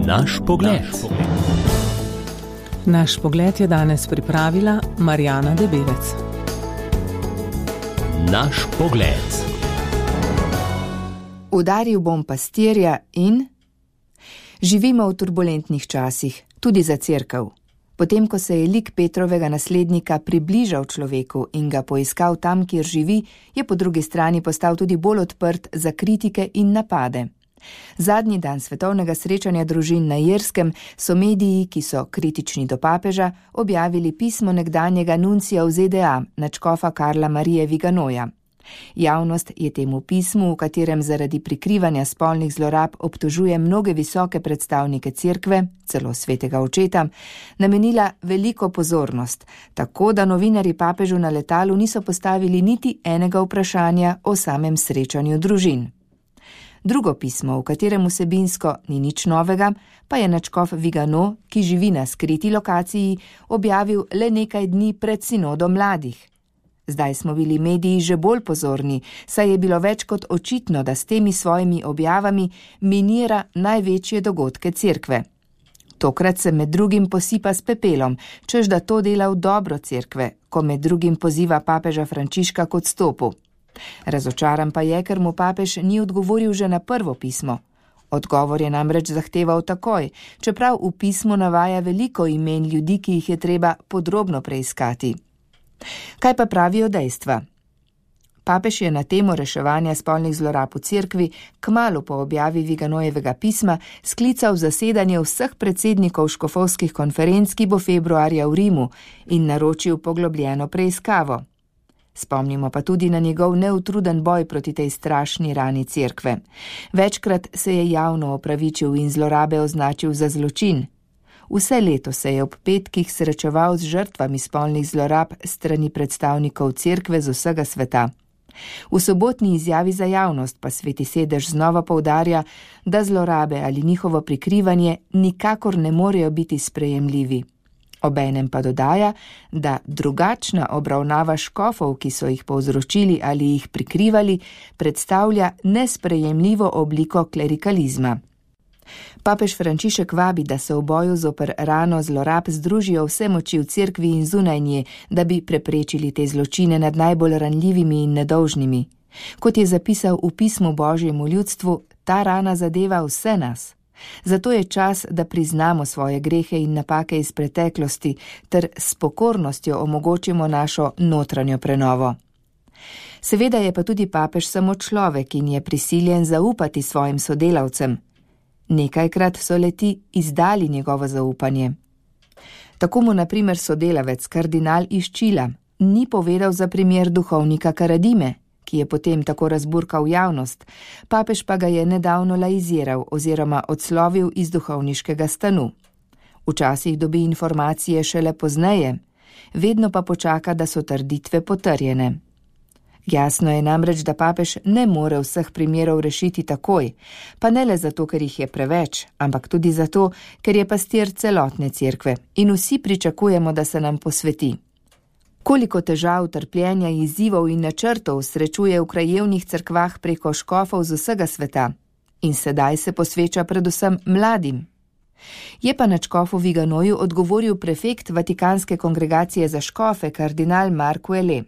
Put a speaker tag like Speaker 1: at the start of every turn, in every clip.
Speaker 1: Naš pogled.
Speaker 2: Naš pogled je danes pripravila Marjana Debelec.
Speaker 1: Naš pogled.
Speaker 3: Udaril bom pastirja in... Živimo v turbulentnih časih, tudi za cerkev. Potem, ko se je lik Petrovega naslednika približal človeku in ga poiskal tam, kjer živi, je po drugi strani postal tudi bolj odprt za kritike in napade. Zadnji dan svetovnega srečanja družin na Irskem so mediji, ki so kritični do papeža, objavili pismo nekdanjega nuncija v ZDA, nadškofa Karla Marije Viganoja. Javnost je temu pismu, v katerem zaradi prikrivanja spolnih zlorab obtožuje mnoge visoke predstavnike cerkve, celo svetega očeta, namenila veliko pozornost, tako da novinarji papežu na letalu niso postavili niti enega vprašanja o samem srečanju družin. Drugo pismo, v katerem vsebinsko ni nič novega, pa je nadškof Vigano, ki živi na skriti lokaciji, objavil le nekaj dni pred sinodom mladih. Zdaj smo bili mediji že bolj pozorni, saj je bilo več kot očitno, da s temi svojimi objavami minira največje dogodke cerkve. Tokrat se med drugim posipa s pepelom, čež da to dela v dobro cerkve, ko med drugim poziva papeža Frančiška k odstopu. Razočaran pa je, ker mu papež ni odgovoril že na prvo pismo. Odgovor je namreč zahteval takoj, čeprav v pismu navaja veliko imen ljudi, ki jih je treba podrobno preiskati. Kaj pa pravijo dejstva? Papež je na temo reševanja spolnih zlorab v cerkvi kmalu po objavi Viganojevega pisma sklical zasedanje vseh predsednikov škofovskih konferenc, ki bo februarja v Rimu, in naročil poglobljeno preiskavo. Spomnimo pa tudi na njegov neutruden boj proti tej strašni rani cerkve. Večkrat se je javno opravičil in zlorabe označil za zločin. Vse leto se je ob petkih srečeval z žrtvami spolnih zlorab strani predstavnikov cerkve z vsega sveta. V sobotni izjavi za javnost pa Sveti sedež znova poudarja, da zlorabe ali njihovo prikrivanje nikakor ne morejo biti sprejemljivi. Obenem pa dodaja, da drugačna obravnava škofov, ki so jih povzročili ali jih prikrivali, predstavlja nesprejemljivo obliko klerikalizma. Papež Frančišek vabi, da se v boju zoper rano zlorab združijo vse moči v cerkvi in zunaj nje, da bi preprečili te zločine nad najbolj ranljivimi in nedolžnimi. Kot je zapisal v pismu Božjemu ljudstvu, ta rana zadeva vse nas. Zato je čas, da priznamo svoje grehe in napake iz preteklosti ter s pokornostjo omogočimo našo notranjo prenovo. Seveda je pa tudi papež samo človek in je prisiljen zaupati svojim sodelavcem. Nekajkrat so le-ti izdali njegovo zaupanje. Tako mu na primer sodelavec kardinal iz Čila ni povedal za primer duhovnika Karadime, ki je potem tako razburkal javnost, papež pa ga je nedavno laiziral oziroma odslovil iz duhovniškega stanu. Včasih dobi informacije šele pozneje, vedno pa počaka, da so trditve potrjene. Jasno je namreč, da papež ne more vseh primerov rešiti takoj, pa ne le zato, ker jih je preveč, ampak tudi zato, ker je pastir celotne cerkve in vsi pričakujemo, da se nam posveti. Koliko težav, trpljenja, izzivov in načrtov srečuje v krajevnih cerkvah preko škofov z vsega sveta in sedaj se posveča predvsem mladim. Je pa nadškofu Viganoju odgovoril prefekt Vatikanske kongregacije za škofe, kardinal Mark Ouellet.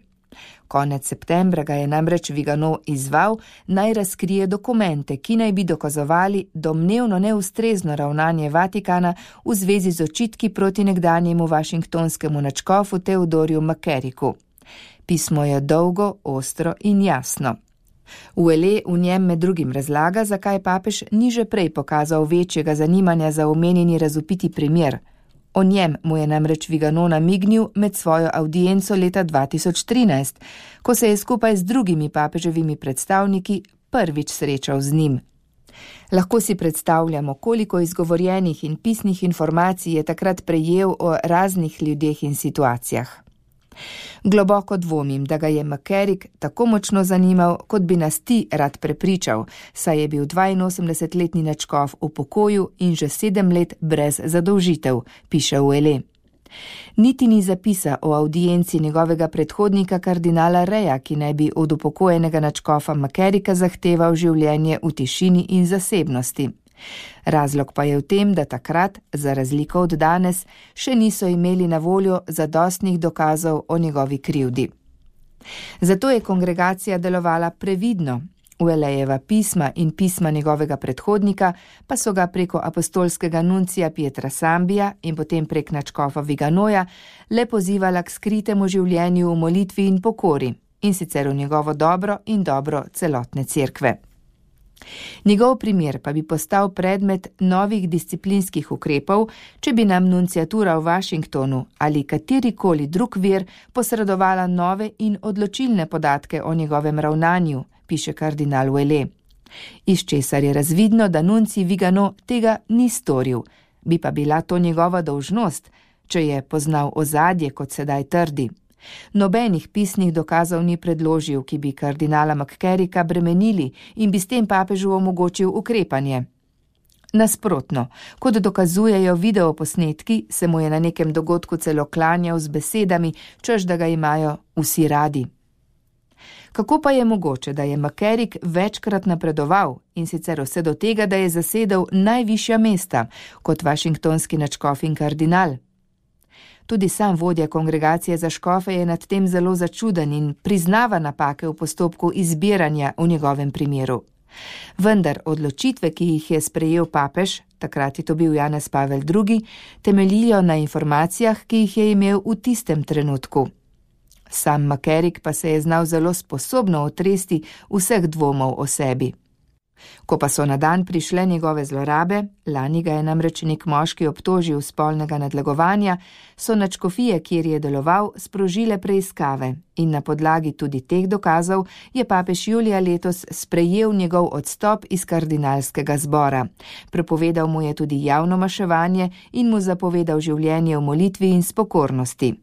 Speaker 3: Konec septembra ga je namreč Vigano izzval, naj razkrije dokumente, ki naj bi dokazovali domnevno neustrezno ravnanje Vatikana v zvezi z očitki proti nekdanjemu washingtonskemu nadškofu Theodorju McCarricku. Pismo je dolgo, ostro in jasno. Ouellet v njem med drugim razlaga, zakaj papež ni že prej pokazal večjega zanimanja za omenjeni razvpiti primer. O njem mu je namreč Vigano namignil med svojo avdienco leta 2013, ko se je skupaj z drugimi papeževimi predstavniki prvič srečal z njim. Lahko si predstavljamo, koliko izgovorjenih in pisnih informacij je takrat prejel o raznih ljudeh in situacijah. Globoko dvomim, da ga je McCarrick tako močno zanimal, kot bi nas ti rad prepričal, saj je bil 82-letni nadškof v pokoju in že 7 let brez zadolžitev, piše Ouellet. Niti ni zapisa o audienci njegovega predhodnika kardinala Reja, ki naj bi od upokojenega nadškofa McCarricka zahteval življenje v tišini in zasebnosti. Razlog pa je v tem, da takrat, za razliko od danes, še niso imeli na voljo zadostnih dokazov o njegovi krivdi. Zato je kongregacija delovala previdno. Uelejeva pisma in pisma njegovega predhodnika pa so ga preko apostolskega nuncija Pietra Sambija in potem prek nadškofa Viganoja le pozivala k skritemu življenju v molitvi in pokori, in sicer v njegovo dobro in dobro celotne cerkve. Njegov primer pa bi postal predmet novih disciplinskih ukrepov, če bi nam nunciatura v Washingtonu ali katerikoli drug vir posredovala nove in odločilne podatke o njegovem ravnanju, piše kardinal Ouellet. Iz česar je razvidno, da nuncij Vigano tega ni storil, bi pa bila to njegova dolžnost, če je poznal ozadje, kot sedaj trdi. Nobenih pisnih dokazov ni predložil, ki bi kardinala McCarricka bremenili in bi s tem papežu omogočil ukrepanje. Nasprotno, kot dokazujejo videoposnetki, se mu je na nekem dogodku celo klanjal z besedami, češ da ga imajo vsi radi. Kako pa je mogoče, da je McCarrick večkrat napredoval in sicer vse do tega, da je zasedel najvišja mesta, kot washingtonski nadškof in kardinal? Tudi sam vodja kongregacije za škofe je nad tem zelo začuden in priznava napake v postopku izbiranja v njegovem primeru. Vendar odločitve, ki jih je sprejel papež, takrat je to bil Janez Pavel II, temeljijo na informacijah, ki jih je imel v tistem trenutku. Sam McCarrick pa se je znal zelo sposobno otresti vseh dvomov o sebi. Ko pa so na dan prišle njegove zlorabe, lani ga je namreč nek moški obtožil spolnega nadlegovanja, so nadškofije, kjer je deloval, sprožile preiskave in na podlagi tudi teh dokazov je papež julija letos sprejel njegov odstop iz kardinalskega zbora. Prepovedal mu je tudi javno maševanje in mu zapovedal življenje v molitvi in spokornosti.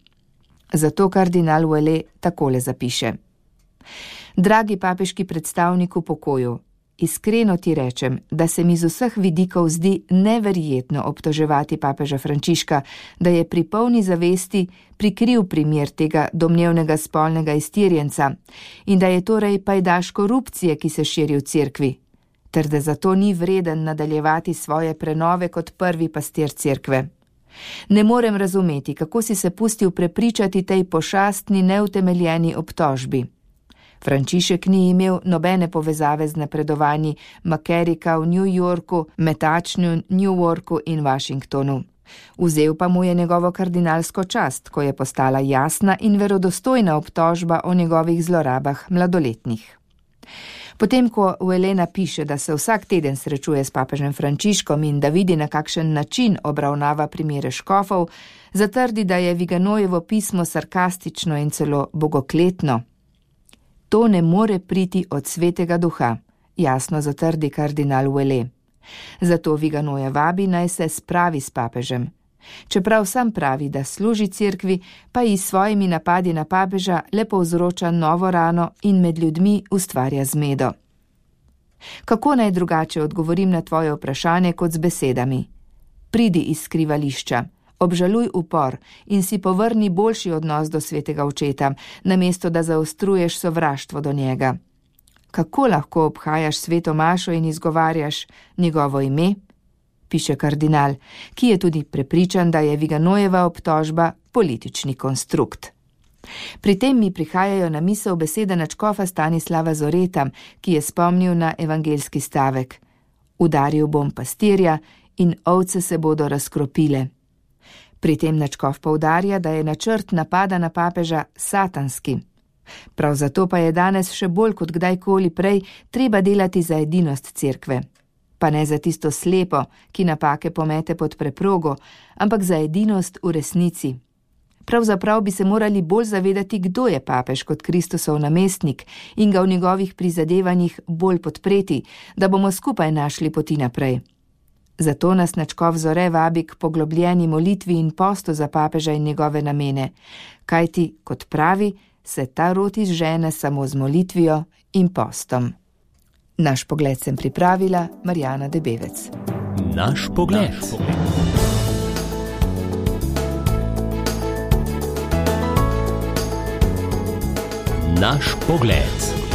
Speaker 3: Zato kardinal Ouellet takole zapiše. Dragi papeški predstavnik v pokoju, iskreno ti rečem, da se mi z vseh vidikov zdi neverjetno obtoževati papeža Frančiška, da je pri polni zavesti prikril primer tega domnevnega spolnega iztirjenca in da je torej pajdaš korupcije, ki se širi v cerkvi, ter da zato ni vreden nadaljevati svoje prenove kot prvi pastir cerkve. Ne morem razumeti, kako si se pustil prepričati tej pošastni, neutemeljeni obtožbi. Frančišek ni imel nobene povezave z napredovanji McCarricka v New Yorku, metačnju Newarku in Washingtonu. Vzel pa mu je njegovo kardinalsko čast, ko je postala jasna in verodostojna obtožba o njegovih zlorabah mladoletnih. Potem, ko Ouellet napiše, da se vsak teden srečuje s papežem Frančiškom in da vidi, na kakšen način obravnava primere škofov, zatrdi, da je Viganojevo pismo sarkastično in celo bogokletno. To ne more priti od svetega duha, jasno zatrdi kardinal Ouellet. Zato Viganoja vabi, naj se spravi s papežem. Čeprav sam pravi, da služi cerkvi, pa ji s svojimi napadi na papeža le povzroča novo rano in med ljudmi ustvarja zmedo. Kako naj drugače odgovorim na tvoje vprašanje kot z besedami? Pridi iz skrivališča, obžaluj upor in si povrni boljši odnos do svetega očeta, namesto da zaostruješ sovraštvo do njega. Kako lahko obhajaš sveto mašo in izgovarjaš njegovo ime? Piše kardinal, ki je tudi prepričan, da je Viganojeva obtožba politični konstrukt. Pri tem mi prihajajo na misel besede nadškofa Stanislava Zoreta, ki je spomnil na evangeljski stavek: Udaril bom pastirja in ovce se bodo razkropile. Pri tem nadškof poudarja, da je načrt napada na papeža satanski. Prav zato pa je danes še bolj kot kdajkoli prej treba delati za edinost cerkve. Pa ne za tisto slepo, ki napake pomete pod preprogo, ampak za edinost v resnici. Pravzaprav bi se morali bolj zavedati, kdo je papež kot Kristusov namestnik in ga v njegovih prizadevanjih bolj podpreti, da bomo skupaj našli poti naprej. Zato nas nadškof Zore vabi k poglobljeni molitvi in postu za papeža in njegove namene, kajti, kot pravi, se ta rod izžene samo z molitvijo in postom. Naš pogled sem pripravila Marjana Debevec.
Speaker 1: Naš pogled. Naš pogled.